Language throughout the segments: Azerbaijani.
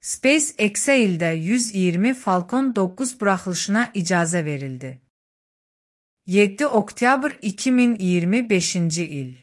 SpaceX-ə ildə 120 Falcon 9 buraxılışına icazə verildi. 7 oktyabr 2025-ci il.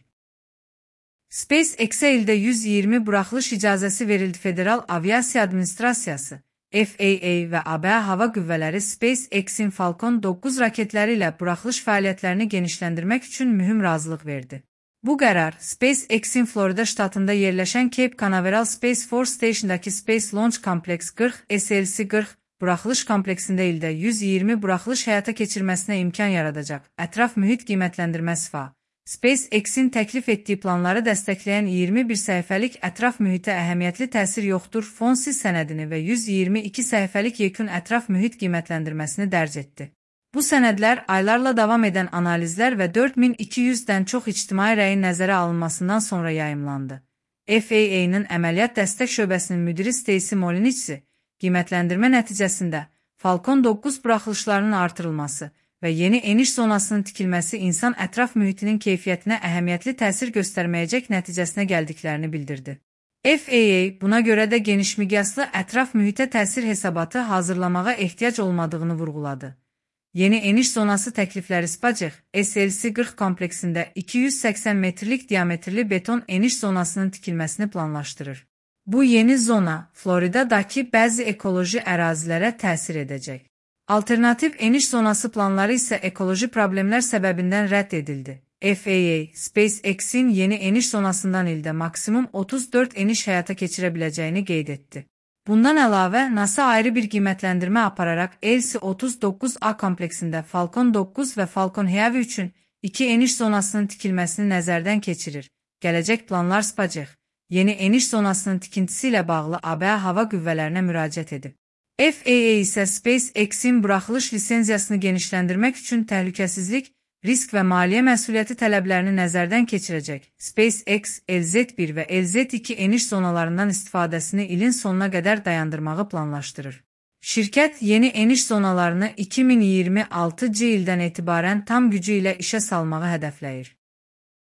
SpaceX-ə ildə 120 buraxılış icazəsi verildi. Federal Aviasiya Administrasiyası FAA və ABŞ Hava Qüvvələri SpaceX-in Falcon 9 raketləri ilə buraxılış fəaliyyətlərini genişləndirmək üçün mühüm razılıq verdi. Bu qərar, SpaceX-in Florida ştatında yerləşən Cape Canaveral Space Force Station'dakı Space Launch Complex 40 SLC-40 buraxılış kompleksində ildə 120 buraxılış həyata keçirməsinə imkan yaradacaq. Ətraf mühit qiymətləndirməsi FA. SpaceX-in təklif etdiyi planları dəstəkləyən 21 səhifəlik ətraf mühitə əhəmiyyətli təsir yoxdur fonsiz sənədini və 122 səhifəlik yekun ətraf mühit qiymətləndirməsini dərc etdi. Bu sənədlər aylarla davam edən analizlər və 4200-dən çox ictimai rəyin nəzərə alınmasından sonra yayımlandı. FAA-nın əməliyyat dəstək şöbəsinin müdiri Stacy Molinici, qiymətləndirmə nəticəsində Falcon 9 buraxılışlarının artırılması və yeni eniş zonasının tikilməsi insan ətraf mühitinin keyfiyyətinə əhəmiyyətli təsir göstərməyəcək nəticəsinə gəldiklərini bildirdi. FAA buna görə də genişmiqyaslı ətraf mühitə təsir hesabatı hazırlamağa ehtiyac olmadığını vurğuladı. Yeni eniş zonası təklifləri SpaceX SLC-40 kompleksində 280 metrlik diametrli beton eniş zonasının tikilməsini planlaşdırır. Bu yeni zona Floridadakı bəzi ekoloji ərazilərə təsir edəcək. Alternativ eniş zonası planları isə ekoloji problemlər səbəbindən rədd edildi. FAA, SpaceX-in yeni eniş zonasından ildə maksimum 34 eniş həyata keçirə biləcəyini qeyd etdi. Bundan əlavə, NASA ayrı bir qiymətləndirmə apararaq LC-39A kompleksində Falcon 9 və Falcon Heavy üçün 2 eniş zonasının tikilməsini nəzərdən keçirir. Gələcək planlar SpaceX, yeni eniş zonasının tikintisi ilə bağlı ABŞ hava qüvvələrinə müraciət edib. FAA isə SpaceX-in buraxılış lisenziyasını genişləndirmək üçün təhlükəsizlik, risk və maliyyə məsuliyyəti tələblərini nəzərdən keçirəcək. SpaceX, LZ-1 və LZ-2 eniş zonalarından istifadəsini ilin sonuna qədər dayandırmağı planlaşdırır. Şirkət yeni eniş zonalarını 2026-cı ildən etibarən tam gücü ilə işə salmağı hədəfləyir.